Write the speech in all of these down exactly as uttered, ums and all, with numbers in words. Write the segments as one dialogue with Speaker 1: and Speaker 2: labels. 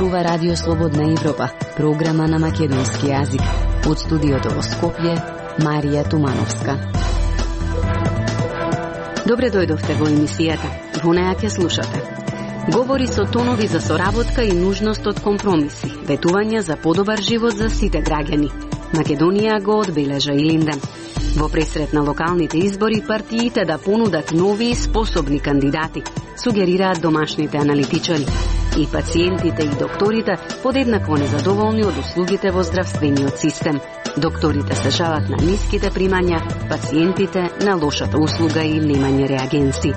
Speaker 1: зборува Радио Слободна Европа, програма на македонски јазик. Од студиото во Скопје, Марија Тумановска. Добре дојдовте во емисијата. Во неја ќе слушате. Говори со тонови за соработка и нужност од компромиси, ветувања за подобар живот за сите граѓани. Македонија го одбележа Илинден. Во пресрет на локалните избори, партиите да понудат нови и способни кандидати, сугерираат домашните аналитичари. И пациентите и докторите подеднакво незадоволни од услугите во здравствениот систем. Докторите се жалат на ниските примања, пациентите на лошата услуга и немање реагенси.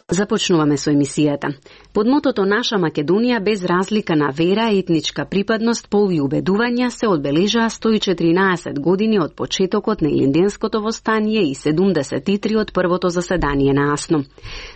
Speaker 1: Започнуваме со емисијата. Под мотото Наша Македонија без разлика на вера, етничка припадност, пол и убедувања се одбележаа сто и четиринаесет години од почетокот на Илинденското востание и седумдесет и три од првото заседание на АСНО.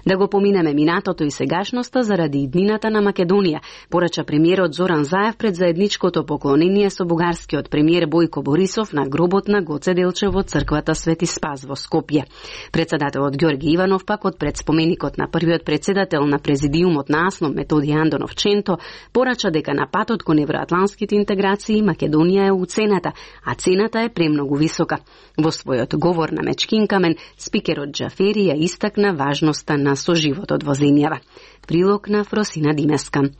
Speaker 1: Да го поминеме минатото и сегашноста заради иднината на Македонија, порача премиерот Зоран Заев пред заедничкото поклонение со бугарскиот премиер Бојко Борисов на гробот на Гоце Делчев во црквата Свети Спас во Скопје. Председателот Ѓорги Иванов пак од пред споменикот на првиот председател на президиумот на АСНО Методи Андонов Ченто порача дека на патот кон евроатланските интеграции Македонија е уцената, а цената е премногу висока. Во својот говор на Мечкин камен, спикерот Џафери ја истакна важноста на соживотот во земјава. Прилог на Фросина Димеска.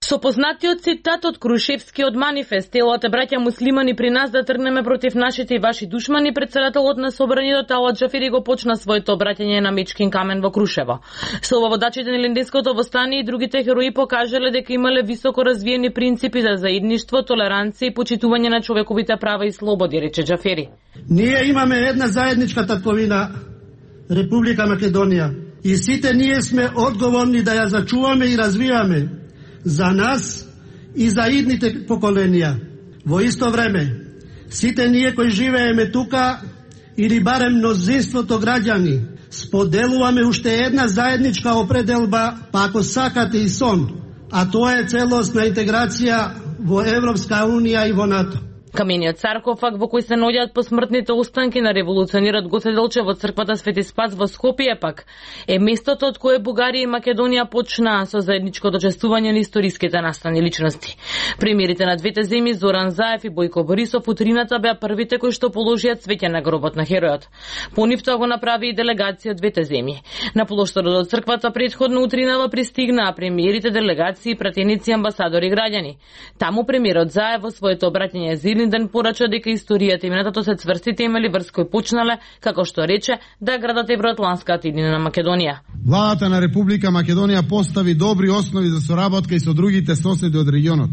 Speaker 2: Со познатиот цитат од Крушевскиот манифест, телото браќа муслимани при нас да тргнеме против нашите и ваши душмани, председателот на собранието Талат Џафери го почна своето обраќање на Мечкин камен во Крушево. Слободачите на Илинденското востание и другите херои покажале дека имале високо развиени принципи за заедништво, толеранција и почитување на човековите права и слободи, рече Џафери.
Speaker 3: Ние имаме една заедничка татковина, Република Македонија, и сите ние сме одговорни да ја зачуваме и развиваме за нас и за идните поколенија. Во исто време, сите ние кои живееме тука, или барем мнозинството граѓани, споделуваме уште една заедничка определба, па ако сакате и сон, а тоа е целосна интеграција во Европска унија и во НАТО.
Speaker 2: Камениот саркофаг во кој се наоѓаат посмртните останки на револуционерот Гоце Делчев во црквата Свети Спас во Скопје пак е местото од кое Бугарија и Македонија почнаа со заедничкото честување на историските настани личности. Премиерите на двете земји Зоран Заев и Бојко Борисов утрината беа првите кои што положија цвеќе на гробот на херојот. По нив тоа го направи и делегација од двете земји. На плоштадот од црквата претходно утринава пристигнаа премиерите, делегации, пратеници, амбасадори и граѓани. Таму премиерот Заев во своето обраќање за Илинден порача дека историјата и минатото се цврсти темели врз кои почнале, како што рече, да градат евроатланската иднина на Македонија.
Speaker 4: Владата на Република Македонија постави добри основи за соработка и со другите соседи од регионот.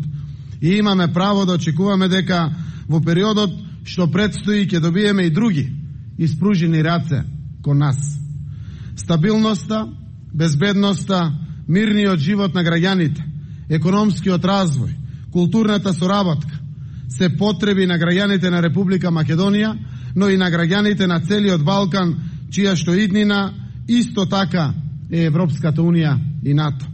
Speaker 4: И имаме право да очекуваме дека во периодот што предстои ќе добиеме и други испружени раце кон нас. Стабилноста, безбедноста, мирниот живот на граѓаните, економскиот развој, културната соработка се потреби на граѓаните на Република Македонија, но и на граѓаните на целиот Балкан, чија што иднина исто така е Европската унија и НАТО.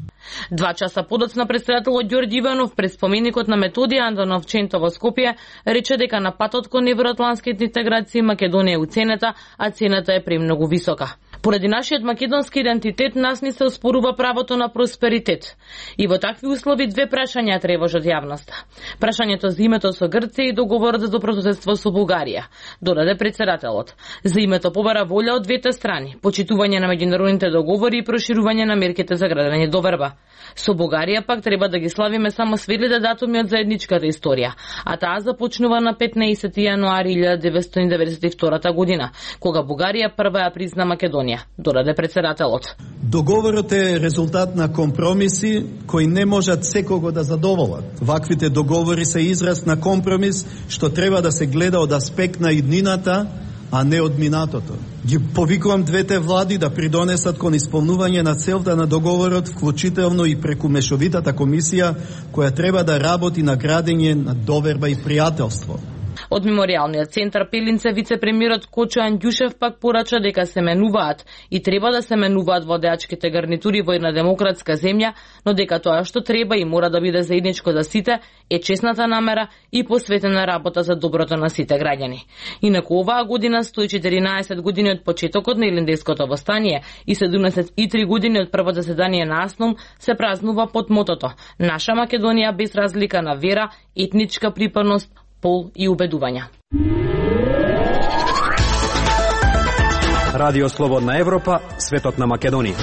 Speaker 2: Два часа подоцна председателот Ѓорги Иванов пред споменикот на Методи Андонов Ченто во Скопје рече дека на патот кон евроатланските интеграции Македонија е уценета, а цената е премногу висока. Поради нашиот македонски идентитет нас ни се оспорува правото на просперитет. И во такви услови две прашања тревожат јавноста. Прашањето за името со Грција и договорот за добрососедство со Бугарија, додаде председателот. За името побара волја од двете страни, почитување на меѓународните договори и проширување на мерките за градење доверба. Со Бугарија пак треба да ги славиме само светлите датуми од заедничката историја, а таа започнува на петнаесети јануари илјада деветстотини деветдесет и втора година, кога Бугарија прва ја призна Македонија, додаде председателот.
Speaker 5: Договорот е резултат на компромиси кои не можат секого да задоволат. Ваквите договори се израз на компромис што треба да се гледа од аспект на иднината, а не од минатото. Ги повикувам двете влади да придонесат кон исполнување на целта на договорот, вклучително и преку мешовитата комисија која треба да работи на градење на доверба и пријателство.
Speaker 2: Од Меморијалниот центар Пелинце вице-премиерот Кочо Андјушев пак порача дека се менуваат и треба да се менуваат водеачките гарнитури во една демократска земја, но дека тоа што треба и мора да биде заедничко за сите е честната намера и посветена работа за доброто на сите граѓани. Инаку оваа година сто и четиринаесет години од почетокот на Илинденското востание и седумдесет и три години од првото заседание на АСНОМ се празнува под мотото Наша Македонија без разлика на вера, етничка припадност, пол и убедувања.
Speaker 6: Радио Слободна Европа, светот на Македонија.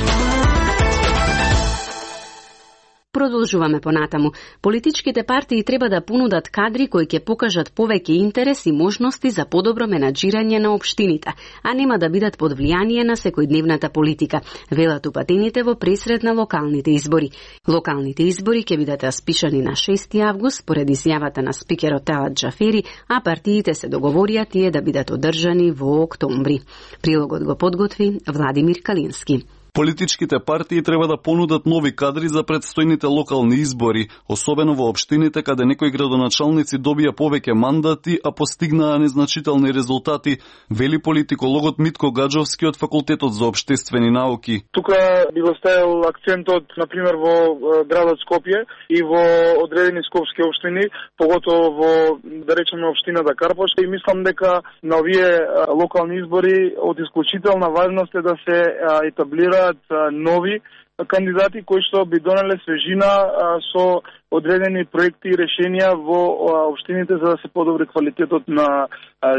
Speaker 1: Продолжуваме понатаму. Политичките партии треба да понудат кадри кои ќе покажат повеќе интерес и можности за подобро менаџирање на општините, а нема да бидат под влијание на секојдневната политика, велат упатените во пресред на локалните избори. Локалните избори ќе бидат распишани на шести август според изјавата на спикерот Талат Џафери, а партиите се договорија тие да бидат одржани во октомври. Прилогот го подготви Владимир Калински.
Speaker 7: Политичките партии треба да понудат нови кадри за предстојните локални избори, особено во општините каде некои градоначалници добија повеќе мандати, а постигнаа незначителни резултати, вели политикологот Митко Гаджовски од Факултетот за општествени науки.
Speaker 8: Тука би го ставил акцентот, например, во градот Скопје и во одредени скопски општини, поготово во, да речеме, општината Карпош, и мислам дека на овие локални избори од исклучителна важност е да се етаблира нови кандидати кои што би донеле свежина со одредени проекти и решенија во општините за да се подобри квалитетот на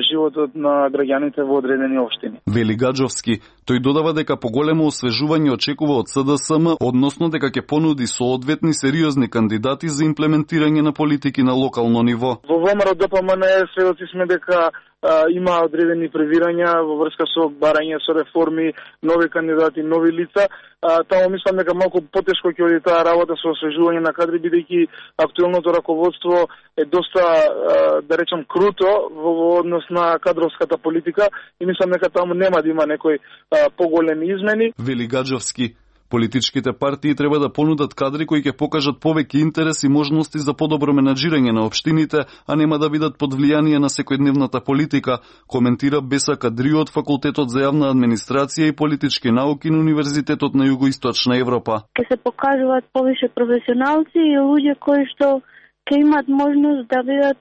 Speaker 8: животот на граѓаните во одредени општини.
Speaker 7: Вели Гаджовски, тој додава дека поголемо освежување очекува од СДСМ, односно дека ќе понуди соодветни сериозни кандидати за имплементирање на политики на локално ниво.
Speaker 8: Во ВМРО ДПМН сведоци сме дека а, има одредени превирања во врска со барање со реформи, нови кандидати, нови лица. А, таму мислам дека малку потешко ќе оди таа работа со освежување на кадри, бидејќи актуелното раководство е доста, а, да речам, круто во однос на кадровската политика и мислам дека таму нема да има некои а, поголеми измени.
Speaker 7: Вели Гаджовски, политичките партии треба да понудат кадри кои ќе покажат повеќе интерес и можности за подобро менаџирање на општините, а нема да бидат под влијание на секојдневната политика, коментира Беса Кадрио од Факултетот за јавна администрација и политички науки на Универзитетот на Југоисточна Европа.
Speaker 9: Ке се покажуваат повише професионалци и луѓе кои што ќе имат можност да бидат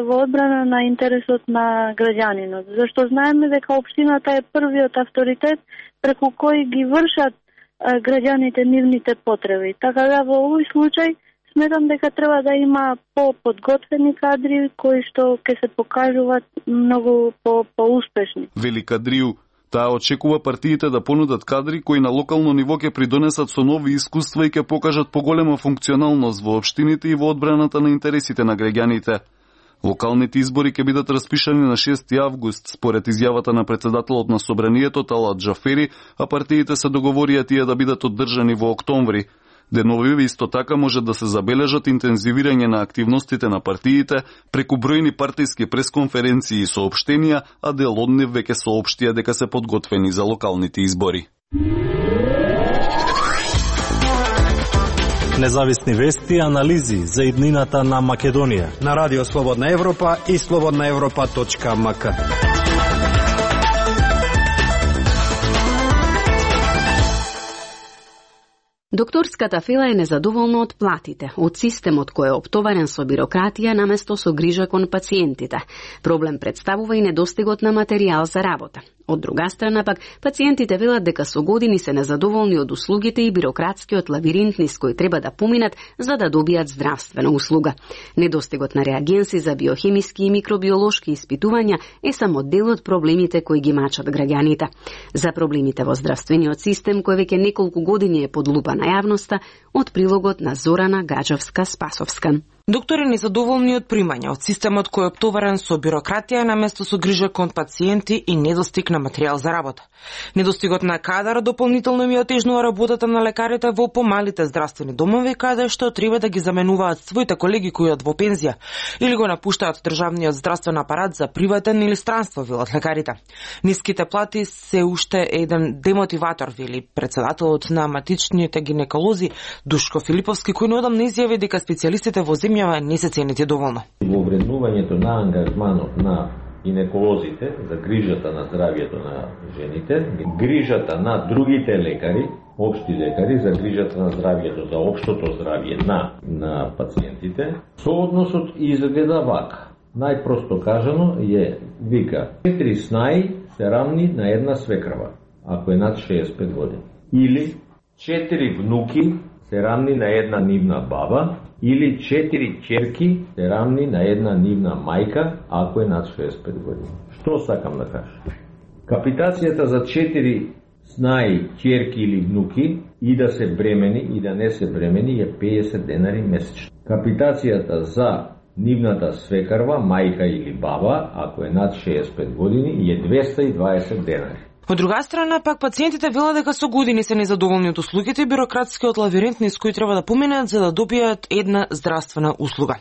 Speaker 9: во одбрана на интересот на граѓанинот, зашто знаеме дека општината е првиот авторитет преку кој ги вршат граѓаните нивните потреби. Така да во овој случај сметам дека треба да има по-подготвени кадри кои што ќе се покажуваат многу по-успешни.
Speaker 7: Вели Кадрију, таа очекува партиите да понудат кадри кои на локално ниво ќе придонесат со нови искуства и ќе покажат поголема функционалност во општините и во одбраната на интересите на граѓаните. Локалните избори ќе бидат распишани на шести август, според изјавата на председателот на Собранието Талат Џафери, а партиите се договорија тие да бидат оддржани во октомври. Деновиве исто така може да се забележат интензивирање на активностите на партиите преку бројни партиски пресконференции и соопштенија, а дел од нив веќе соопштија дека се подготвени за локалните избори.
Speaker 6: Независни вести и анализи за иднината на Македонија на Радио Слободна Европа и слободна европа точка ем ка.
Speaker 1: Докторската фила е незадоволна од платите, од системот кој е оптоварен со бирократија наместо со грижа кон пациентите. Проблем представува и недостигот на материјал за работа. Од друга страна пак, пациентите велат дека со години се незадоволни од услугите и бирократскиот лавиринт низ кој треба да поминат за да добијат здравствена услуга. Недостигот на реагенси за биохемиски и микробиолошки испитувања е само дел од проблемите кои ги мачат граѓаните. За проблемите во здравствениот систем, кој веќе неколку години е под лупа на јавноста, од прилогот на Зорана Гаджовска-Спасовска.
Speaker 10: Доктори незадоволни од примања од системот кој е оптоварен со бирократија наместо со грижа кон пациенти и недостиг на материјал за работа. Недостигот на кадар дополнително ми отежнува работата на лекарите во помалите здравствени домови, каде што треба да ги заменуваат своите колеги кои од во пензија или го напуштаат државниот здравствен апарат за приватен или странство, велат лекарите. Ниските плати се уште еден демотиватор, вели председателот на матичните гинеколози Душко Филиповски, кој неодамна изјави дека специјалистите во земјата земјава не се цените доволно.
Speaker 11: Во вреднувањето на ангажманот на гинеколозите за грижата на здравјето на жените, грижата на другите лекари, општи лекари за грижата на здравјето, за општото здравје на на пациентите, соодносот изгледа вака. Најпросто кажано е, вика, четири снаи се равни на една свекрва, ако е над шеесет и пет години. Или четири внуки се равни на една нивна баба, или четири ќерки се равни на една нивна мајка, ако е над шеесет и пет години. Што сакам да кажам? Капитацијата за четири снаи, ќерки или внуки, и да се бремени и да не се бремени, е педесет денари месечно. Капитацијата за нивната свекарва, мајка или баба, ако е над шеесет и пет години, е двесте и дваесет денари.
Speaker 10: Од друга страна, пак пациентите велат дека со години се незадоволни од услугите и бирократскиот лавиринт низ кој треба да поминат за да добијат една здравствена услуга.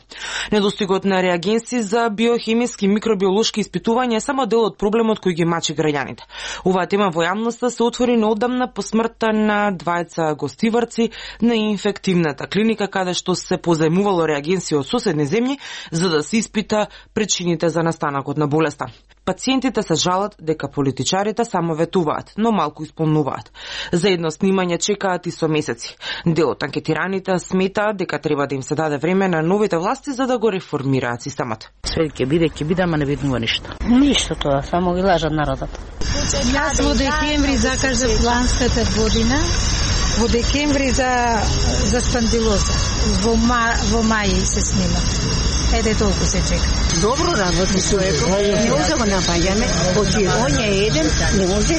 Speaker 10: Недостигот на реагенси за биохемиски и микробиолошки испитувања е само дел од проблемот кој ги мачи граѓаните. Оваа тема во јавноста се отвори неодамна по смртта на двајца гостиварци на инфективната клиника, каде што се позајмувало реагенси од соседни земји за да се испита причините за настанокот на болеста. Пациентите се жалат дека политичарите само ветуваат, но малку исполнуваат. За едно снимање чекаат и со месеци. Дел од анкетираните сметаат дека треба да им се даде време на новите власти за да го реформираат системот.
Speaker 12: Све ќе биде, ќе биде, ама не виднува ништо. Ништо тоа, само ги лажат народот.
Speaker 13: Јас во декември закажав ланската година, во декември за за спандилоза. Во ма, во мај се снима. Еде толку се чека.
Speaker 14: Добро работи човекот. Не може да го напаѓаме, оти он е еден, не може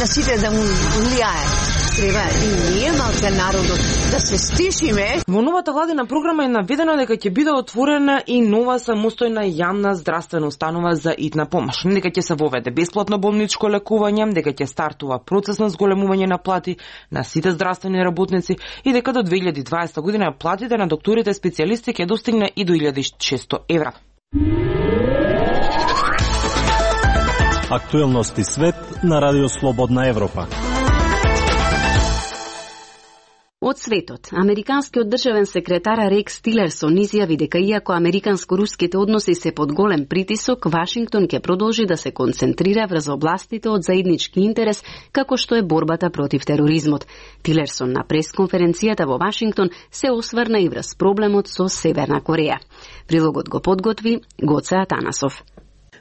Speaker 14: да сите да му влијае. Треба и ние малце народот да се стишиме.
Speaker 10: Во новата владина програма е наведено дека ќе биде отворена и нова самостојна јавна здравствена установа за итна помош. Дека ќе се воведе бесплатно болничко лекување, дека ќе стартува процес на зголемување на плати на сите здравствени работници и дека до две илјади и дваесета година платите на докторите специјалисти ќе достигне и до илјада и шестsto евра.
Speaker 6: Актуелности свет на Радио Слободна Европа.
Speaker 1: Од светот, американскиот државен секретар Рекс Тилерсон изјави дека иако американско-руските односи се под голем притисок, Вашингтон ќе продолжи да се концентрира врз областите од заеднички интерес, како што е борбата против тероризмот. Тилерсон на пресконференцијата во Вашингтон се осврна и врз проблемот со Северна Кореја. Прилогот го подготви Гоце Атанасов.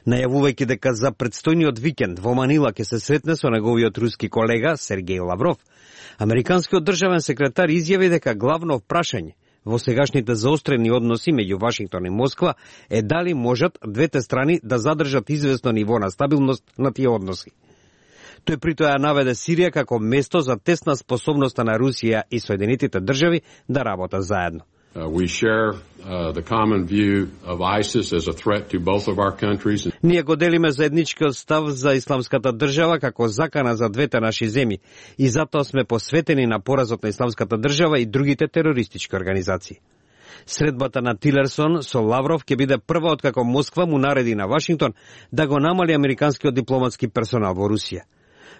Speaker 15: Најавувајќи дека за предстојниот викенд во Манила ќе се сретне со неговиот руски колега Сергеј Лавров, американскиот државен секретар изјави дека главно прашање во сегашните заострени односи меѓу Вашингтон и Москва е дали можат двете страни да задржат известно ниво на стабилност на тие односи. Тој притоа наведе Сирија како место за тесна способноста на Русија и Соединетите држави да работат заедно.
Speaker 16: Uh, we share uh, the common view of ISIS as a threat to both of our countries.
Speaker 15: Ние го делиме заедничкиот став за исламската држава како закана за двете наши земји и затоа сме посветени на поразот на исламската држава и другите терористички организации. Средбата на Тилерсон со Лавров ќе биде прва откако Москва му нареди на Вашингтон да го намали американскиот дипломатски персонал во Русија.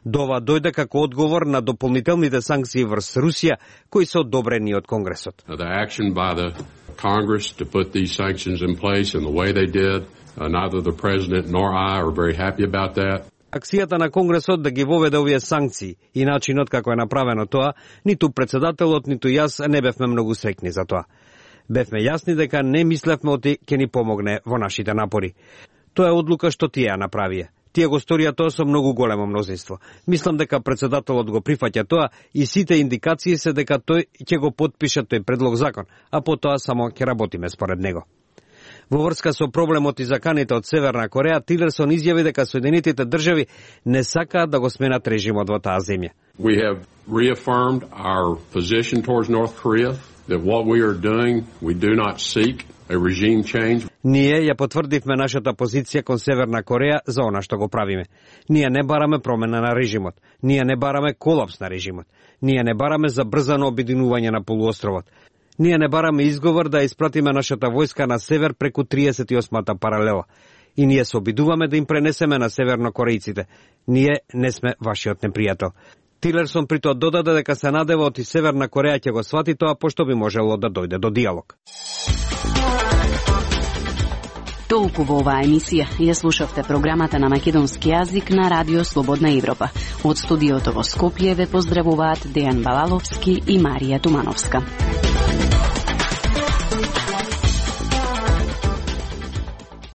Speaker 15: Дова дојде како одговор на дополнителните санкции врз Русија, кои се одобрени од Конгресот.
Speaker 16: The action by the Congress to put these sanctions in place and the way they did, uh, neither the president nor I are very happy about that.
Speaker 15: Акцијата на Конгресот да ги воведе овие санкции и начинот како е направено тоа, ниту председателот, ниту јас не бевме многу среќни за тоа. Бевме јасни дека не мислевме оти ќе ни помогне во нашите напори. Тоа е одлука што тие ја направија. Тие го сторија тоа со многу големо мнозинство. Мислам дека председателот го прифаќа тоа и сите индикации се дека тој ќе го потпише тој предлог закон, а потоа само ќе работиме според него. Во врска со проблемот и заканите од Северна Кореја, Тилерсон изјави дека Соединетите држави не сакаат да го сменат режимот во таа земја.
Speaker 16: We have reaffirmed our position towards North Korea that what we are doing, we do not seek a regime change.
Speaker 15: Ние ја потврдивме нашата позиција кон Северна Кореја за она што го правиме. Ние не бараме промена на режимот. Ние не бараме колапс на режимот. Ние не бараме забрзано обединување на полуостровот. Ние не бараме изговор да испратиме нашата војска на север преку триесет и осмата паралела. И ние се обидуваме да им пренесеме на севернокорејците. Ние не сме вашиот непријател. Тилерсон при тоа додаде дека се надева оти Северна Кореја ќе го свати тоа, пошто би можело да дојде до диалог.
Speaker 1: Толку во оваа емисија. Ја слушавте програмата на македонски јазик на Радио Слободна Европа. Од студиото во Скопје ве поздравуваат Дејан Балаловски и Марија Тумановска.